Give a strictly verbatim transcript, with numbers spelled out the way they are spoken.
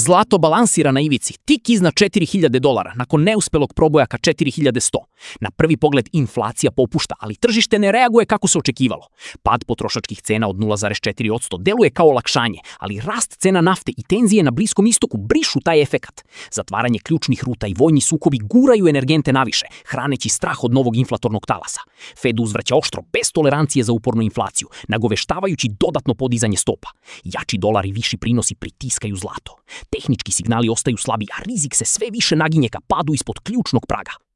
Zlato balansira na ivici, tik iznad četiri hiljade dolara, nakon neuspelog proboja ka četiri hiljade sto. Na prvi pogled inflacija popušta, ali tržište ne reaguje kako se očekivalo. Pad potrošačkih cena od nula zarez četiri posto deluje kao olakšanje, ali rast cena nafte i tenzije na Bliskom istoku brišu taj efekat. Zatvaranje ključnih ruta i vojni sukobi guraju energente naviše, hraneći strah od novog inflatornog talasa. Fed uzvraća oštro, bez tolerancije za upornu inflaciju, nagoveštavajući dodatno podizanje stopa. Jači dolar i viši prinosi pritiskaju zlato. Tehnički signali ostaju slabi, a rizik se sve više naginje ka padu ispod ključnog praga.